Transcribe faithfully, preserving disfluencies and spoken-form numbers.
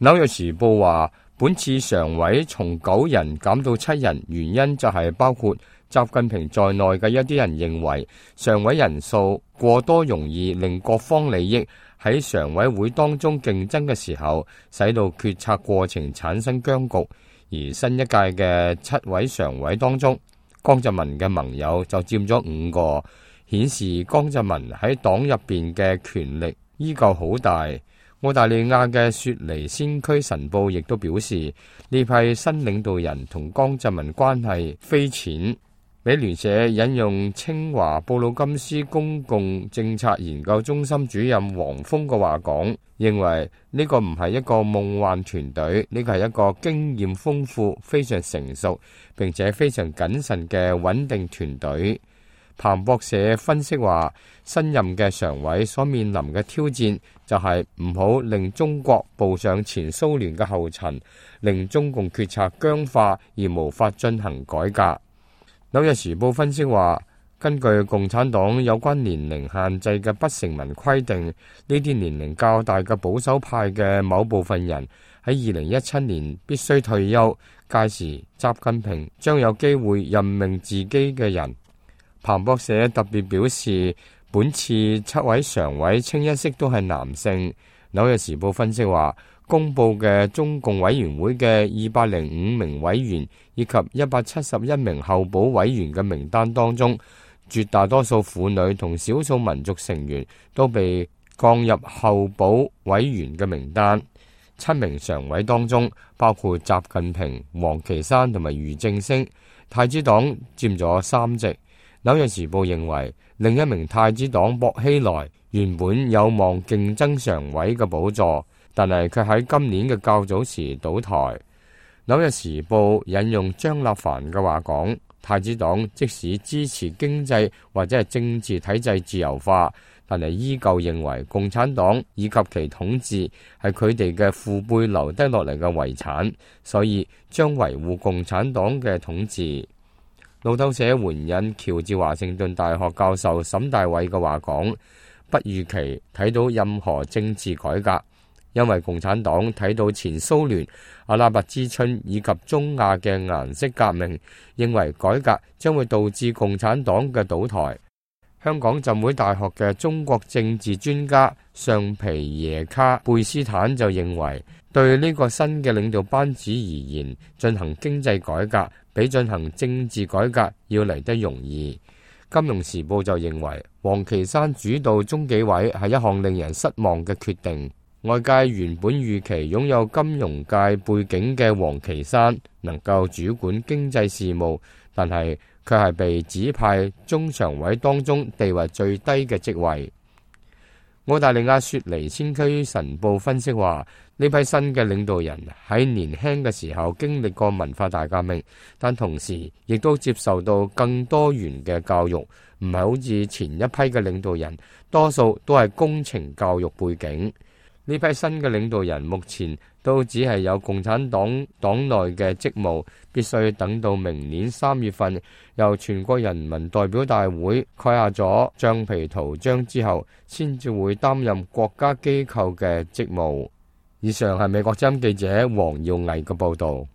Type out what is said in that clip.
紐約時報話，本次常委從九人減到七人，原因就係包括習近平在內嘅一啲人認為常委人數過多，容易令各方利益喺常委會當中競爭嘅時候，使到決策過程產生僵局。而新一屆嘅七位常委當中，江澤民嘅盟友就佔咗五個，顯示江澤民喺黨入邊嘅權力依舊好大。澳大利亞嘅雪梨先驅晨報亦都表示，呢批新領導人同江澤民關係非淺。美聯社引用清華布魯金斯公共政策研究中心主任黃峰嘅話講，認為呢個唔係一個夢幻團隊，呢個係一個經驗豐富、非常成熟並且非常謹慎嘅穩定團隊。彭博社分析話，新任嘅常委所面臨嘅挑戰就係唔好令中國步上前蘇聯嘅後塵，令中共決策僵化而無法進行改革。紐約時報分析話，根據共產黨有關年齡限制嘅不成文規定，呢啲年齡較大嘅保守派嘅某部分人喺二零一七年必須退休，屆時習近平將有機會任命自己嘅人。彭博社特別表示，本次七位常委清一色都係男性。紐約時報分析話，公布嘅中共委員會嘅二百零五名委員以及一百七十一名候補委員嘅名單當中，絕大多數婦女同少數民族成員都被降入候補委員嘅名單。七名常委當中包括習近平、王岐山同埋俞正聲，太子黨佔咗三席。紐約時報認為，另一名太子黨薄熙來原本有望競爭常委嘅寶座，但係佢喺今年嘅較早時倒台。紐約時報引用張立凡嘅話講，太子黨即使支持經濟或者係政治體制自由化，但係依舊認為共產黨以及其統治係佢哋嘅父輩留低落嚟嘅遺產，所以將維護共產黨嘅統治。路透社援引喬治華盛頓大學教授沈大偉嘅話講，不預期睇到任何政治改革，因為共產黨睇到前蘇聯、阿拉伯之春以及中亞嘅顏色革命，認為改革將會導致共產黨嘅倒台。香港浸會大學嘅中國政治專家尚皮耶卡貝斯坦就認為，對呢個新嘅領導班子而言，進行經濟改革比進行政治改革要嚟得容易。金融時報就認為，王岐山主導中紀委係一項令人失望嘅決定。外界原本預期擁有金融界背景嘅王岐山能夠主管經濟事務，但係卻係被指派中常委當中地位最低嘅職位。澳大利亞雪梨先驅晨報分析話，呢批新嘅領導人喺年輕嘅時候經歷過文化大革命，但同時亦都接受到更多元嘅教育，唔係好似前一批嘅領導人多數都係工程教育背景。呢批新嘅領導人目前都只係有共產黨黨內嘅職務，必須等到明年三月份由全國人民代表大會蓋下咗橡皮圖章之後，先至會擔任國家機構嘅職務。以上係美國之音記者黃耀毅嘅報道。